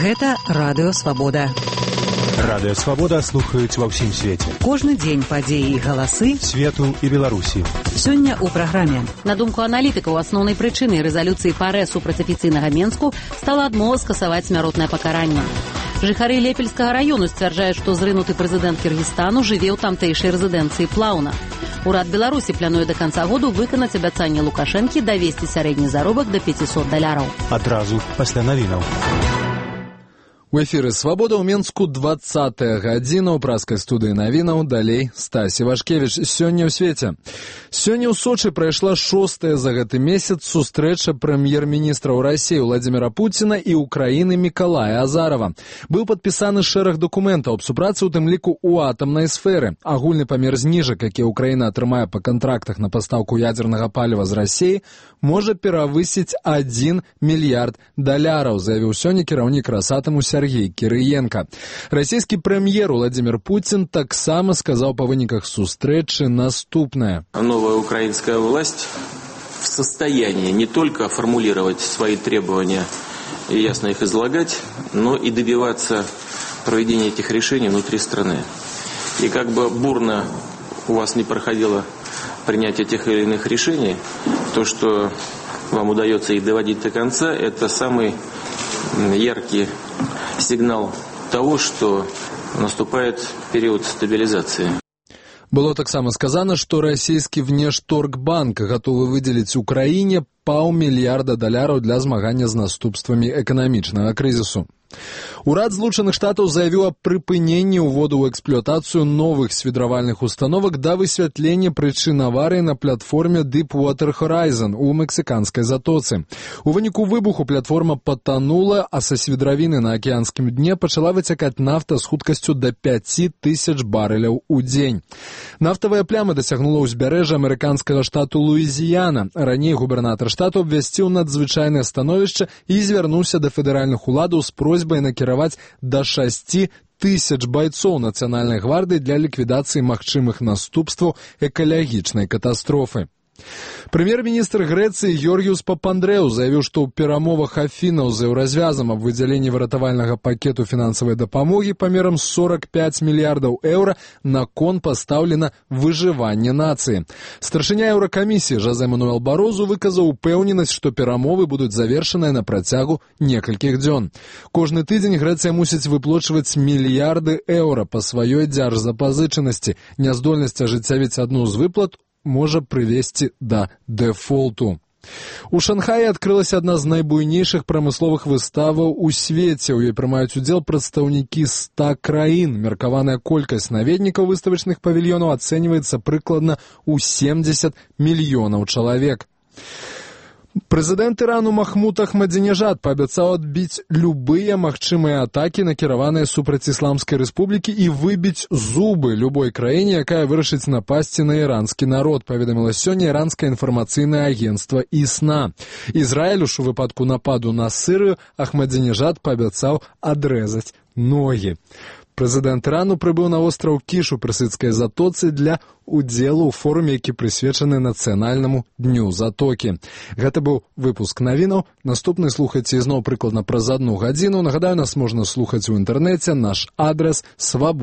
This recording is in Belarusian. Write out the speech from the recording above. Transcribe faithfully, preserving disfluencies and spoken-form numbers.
Гэта Радыё Свабода. Радыё Свабода слухаюць ва ўсім свеце. Кожны дзень падзеі і галасы свету і Беларусі. Сёння ў праграме. На думку аналітыкаў, асноўнай прычынай рэзалюцыі ПАРЭ супраць афіцыйнага Менску стала адмова скасаваць смяротнае пакаранне. Жыхары Лепельскага раёну сцвярджаюць, што зрынуты прэзідэнт Кіргізстану жыве ў тамтэйшай рэзідэнцыі Плаўна. Урад Беларусі плануе да канца году выканаць абяцанне Лукашэнкі давесці сярэдні заробак да пяцісот даляраў. Адразу пасля навінаў. У эфіры «Свабода» ў Менску двадцатая гадзіна ў праскай студыі навінаў. Далей Стась Івашкевіч. Сёння ў свеце. Сёння ў Сочы прайшла шостая за гэты месяц сустрэча прэм'ер-міністраў Расіі Владзіміра Пуціна і Украіны Мікалая Азарова. Быў падпісаны шэраг дакументаў аб супрацы, у тым ліку ў атамнай сферы. Агульны памер зніжак, які Украіна атрымае па кантрактах на пастаўку ядзернага паліва з Расіі, можа перавысіць адзін мільярд даляраў, заявіў сёння кіраўнік Расатаму Сергей Кірыенка. Расійскі прэм'ер Владзімір Пуцін таксама сказаў па выніках сустрэчы наступнае. Новая украинская власть в состоянии не только формулировать свои требования и ясно их излагать, но и добиваться проведения этих решений внутри страны. И как бы бурно у вас не проходило принятие тех или иных решений, то, что вам удается их доводить до конца, это самый яркий сигнал того, что наступает период стабилизации. Было таксама сказано, што расійскі внешторгбанк гатовы выдзеліць Украіне паўмільярда даляраў для змагання з наступствамі эканамічнага крызісу. Урад Злучаных Штатаў заявіў аб прыпыненні ўводу ў эксплуатацыю новых свідравальных установак да высвятлення прычын аварыі на платформе Deepwater Horizon у мексіканскай затоцы. У выніку выбуху платформа патанула, а са свідравіны на акіянскім дне пачала выцякаць нафта з хуткасцю да пяці тысяч барэляў у дзень. Нафтавая пляма дасягнула ўзбярэжжа амерыканскага штату Луізіяна. Раней губернатар штату абвясціў надзвычайнае становішча і звярнуўся да федэральных уладаў з просьбай накіраваць да шасці тысяч байцоў нацыянальнай гвардыі для ліквідацыі магчымых наступстваў экалагічнай катастрофы. Прэм'ер-міністр Грэцыі Георгіус Папандрэу заявіў, што ў перамовах Афінаў з еўразвязам аб выдзяленні выратавальнага пакету фінансавай дапамогі памерам сорок пяць мільярдаў еўра на кон пастаўлена выжыванне нацыі. Старшыня еўракамісіі Жозе Мануэл Барозу выказаў упэўненасць, што перамовы будуць завершаныя на працягу некалькіх дзён. Кожны тыдзень Грэцыя мусіць выплочваць мільярды еўра па сваёй дзяржзапазычанасці. Няздольнасць ажыццявіць адну з выплат можа прывесці да дэфолту. У Шанхаі адкрылася адна з найбуйнейшых прамысловых выставаў у свеце. У ёй прымаюць удзел прадстаўнікі ста краін. Меркаваная колькасць наведнікаў выставачных павільёнаў ацэньваецца прыкладна ў семдзесят мільёнаў чалавек. Прэзідэнт Ірану Махмуд Ахмадзінежад паабяцаў адбіць любыя магчымыя атакі, накіраваныя супраць Ісламскай рэспублікі, і выбіць зубы любой краіне, якая вырашыць напасці на іранскі народ, паведаміла сёння іранскае інфармацыйнае агенцтва ІСНА. Ізраілю ж у выпадку нападу на Сірыю Ахмадзінежад паабяцаў адрэзаць ногі. Прэзідэнт Ірану прыбыў на востраў Кіш у персідскай затоцы для удзелу ў форуме, які прысвечаны нацыянальнаму дню затокі. Гэта быў выпуск навінаў. Наступны слухайце ізноў прыкладна праз адну гадзіну. Нагадаю, нас можна слухаць у інтэрнэце. Наш адрас свабода.